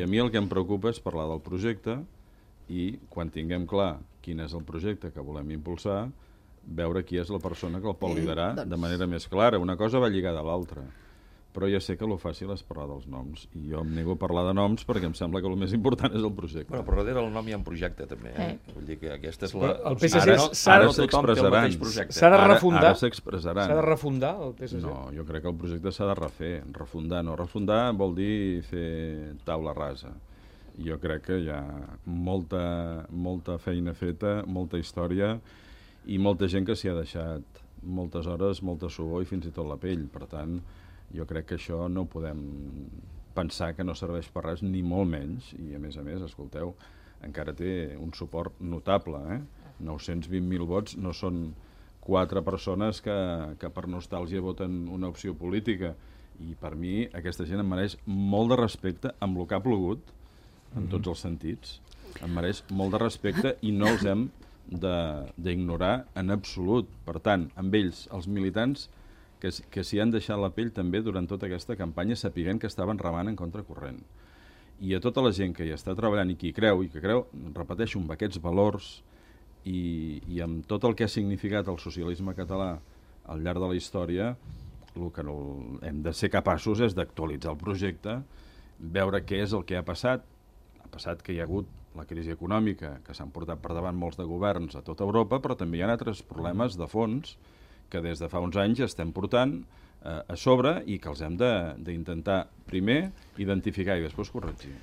I a mi el que em preocupa és parlar del projecte i, quan tinguem clar quin és el projecte que volem impulsar, veure qui és la persona que el pot liderar de manera més clara. Una cosa va lligada a l'altra. Però ja sé que el fàcil és parlar dels noms, i jo em nego a parlar de noms perquè em sembla que el més important és el projecte. Bueno, però darrere del nom hi ha un projecte, també. Vull dir que aquesta és la... El PSC ara s'expressaran. S'ha de refundar? Ara s'expressaran. S'ha de refundar, el PSC? No, jo crec que el projecte s'ha de refer. Refundar no. Refundar vol dir fer taula rasa. Jo crec que hi ha molta feina feta, molta història i molta gent que s'hi ha deixat moltes hores, molta suor i fins i tot la pell. Per tant, jo crec que això no podem pensar que no serveix per res, ni molt menys, i a més, escolteu, encara té un suport notable, 920.000 vots no són 4 persones que per nostàlgia voten una opció política, i per mi aquesta gent em mereix molt de respecte amb el que ha plogut, en tots els sentits, em mereix molt de respecte i no els hem d'ignorar en absolut. Per tant, amb ells, els militants, que s'hi han deixat la pell també durant tota aquesta campanya, sapiguent que estaven remant en contracorrent. I a tota la gent que hi està treballant i que creu, repeteixo, amb aquests valors i amb tot el que ha significat el socialisme català al llarg de la història, el que hem de ser capaços és d'actualitzar el projecte, veure què és el que ha passat. Ha passat que hi ha hagut la crisi econòmica, que s'han portat per davant molts de governs a tota Europa, però també hi ha altres problemes de fons que des de fa uns anys estem portant a sobre i que els hem d'intentar primer identificar i després corregir.